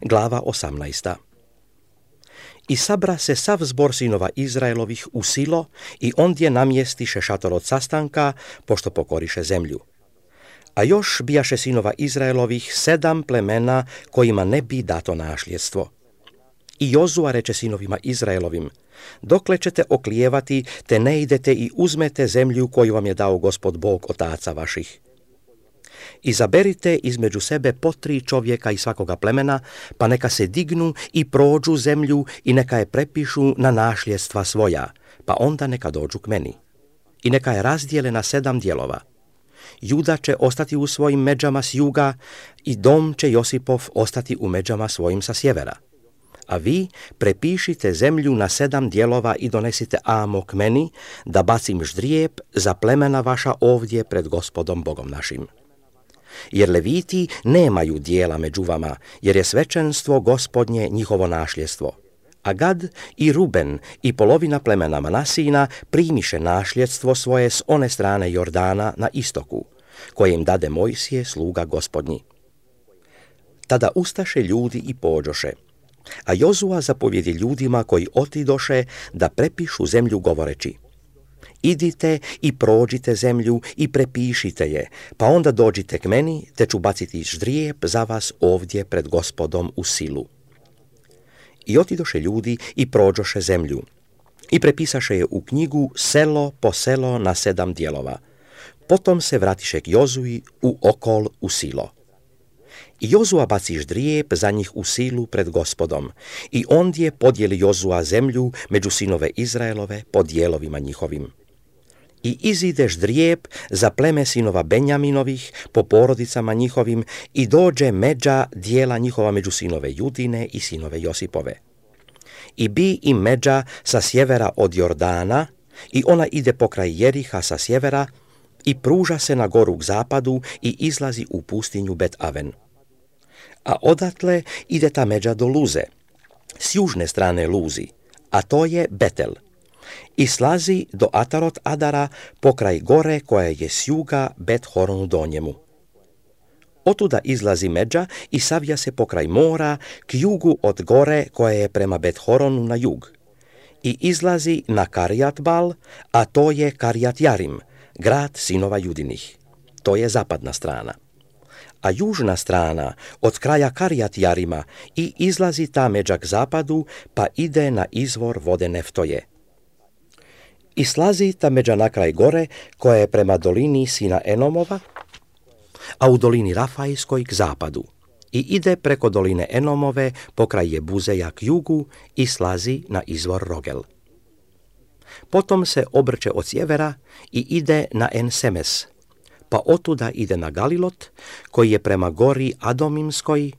glava 18. I sabra se sav zbor sinova Izraelovih u Silo i ondje namjestiše šator od sastanka, pošto pokoriše zemlju. A još bijaše sinova Izraelovih 7 plemena kojima ne bi dato našljedstvo. I Jozua reče sinovima Izraelovim: dokle ćete oklijevati, te ne idete i uzmete zemlju koju vam je dao Gospod Bog otaca vaših. Izaberite između sebe po 3 čovjeka iz svakoga plemena, pa neka se dignu i prođu zemlju i neka je prepišu na našljedstva svoja, pa onda neka dođu k meni. I neka je razdijele na 7 dijelova. Juda će ostati u svojim međama s juga i dom će Josipov ostati u međama svojim sa sjevera. A vi prepišite zemlju na 7 dijelova i donesite amo k meni, da bacim ždrijeb za plemena vaša ovdje pred Gospodom Bogom našim. Jer Leviti nemaju dijela među vama, jer je svečenstvo Gospodnje njihovo našljedstvo. A Gad i Ruben i polovina plemena Manasina primiše našljedstvo svoje s one strane Jordana na istoku, koje im dade Mojsije, sluga Gospodnji. Tada ustaše ljudi i pođoše, a Jozua zapovjedi ljudima koji otidoše da prepišu zemlju govoreći: idite i prođite zemlju i prepišite je, pa onda dođite k meni, te ću baciti ždrijeb za vas ovdje pred Gospodom u Silu. I otidoše ljudi i prođoše zemlju i prepisaše je u knjigu selo po selo na 7 dijelova. Potom se vratiše k Jozui u okol u Silo. I Jozua baci ždrijeb za njih u Silu pred Gospodom, i ondje podijeli Jozua zemlju među sinove Izraelove po dijelovima njihovim. I izide ždrijeb za pleme sinova Benjaminovih po porodicama njihovim i dođe međa dijela njihova među sinove Judine i sinove Josipove. I bi im međa sa sjevera od Jordana i ona ide pokraj Jeriha sa sjevera i pruža se na goru k zapadu i izlazi u pustinju Bet Aven. A odatle ide ta međa do Luze, s južne strane Luzi, a to je Betel, i slazi do Atarot Adara pokraj gore koja je s juga Bet Horonu donjemu. Otuda izlazi međa i savija se pokraj mora k jugu od gore koja je prema Bet Horonu na jug, i izlazi na Karjat Bal, a to je Karjat Jarim, grad sinova Judinih. To je zapadna strana. A južna strana od kraja Karjat Jarima i izlazi ta međa k zapadu, pa ide na izvor vode Neftoje. I slazi ta međa na kraj gore koja je prema dolini sina Enomova, a u dolini Rafajskoj k zapadu, i ide preko doline Enomove pokraj Jebuzeja k jugu i slazi na izvor Rogel. Potom se obrće od sjevera i ide na En-Semes, pa otuda ide na Galilot, koji je prema gori Adomimskoj,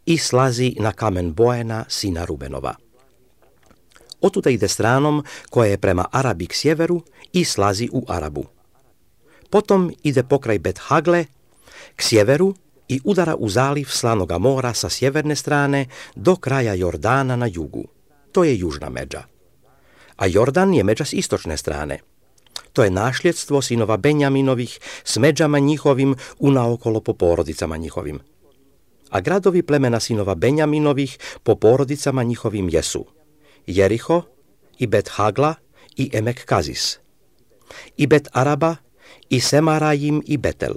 i slazi na kamen Boena sina Rubenova. Otuda ide stranom koja je prema Arabi k sjeveru i slazi u Arabu. Potom ide pokraj Bet Hagle k sjeveru i udara u zaliv Slanoga mora sa sjeverne strane do kraja Jordana na jugu. To je južna međa. A Jordan je međa s istočne strane. To je našljedstvo sinova Benjaminovih s međama njihovim unaokolo po porodicama njihovim. A gradovi plemena sinova Benjaminovih po porodicama njihovim jesu Jeriho i Bet Hagla i Emek Kazis, i Bet Araba i Semarajim i Betel,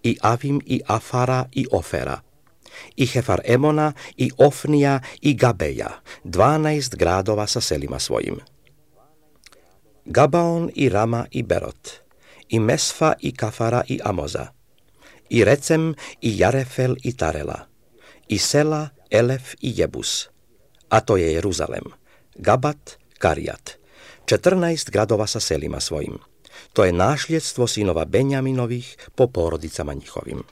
i Avim i Afara i Ofera, i Hefar Emona i Ofnija i Gabeja, 12 gradova sa selima svojim. Gabaon i Rama i Berot, i Mesfa i Kafara i Amoza, i Recem i Jarefel i Tarela, i Sela, Elef i Jebus, a to je Jeruzalem, Gabat, Karjat, 14 gradova sa selima svojim. To je našljedstvo sinova Benjaminovih po porodicama njihovim.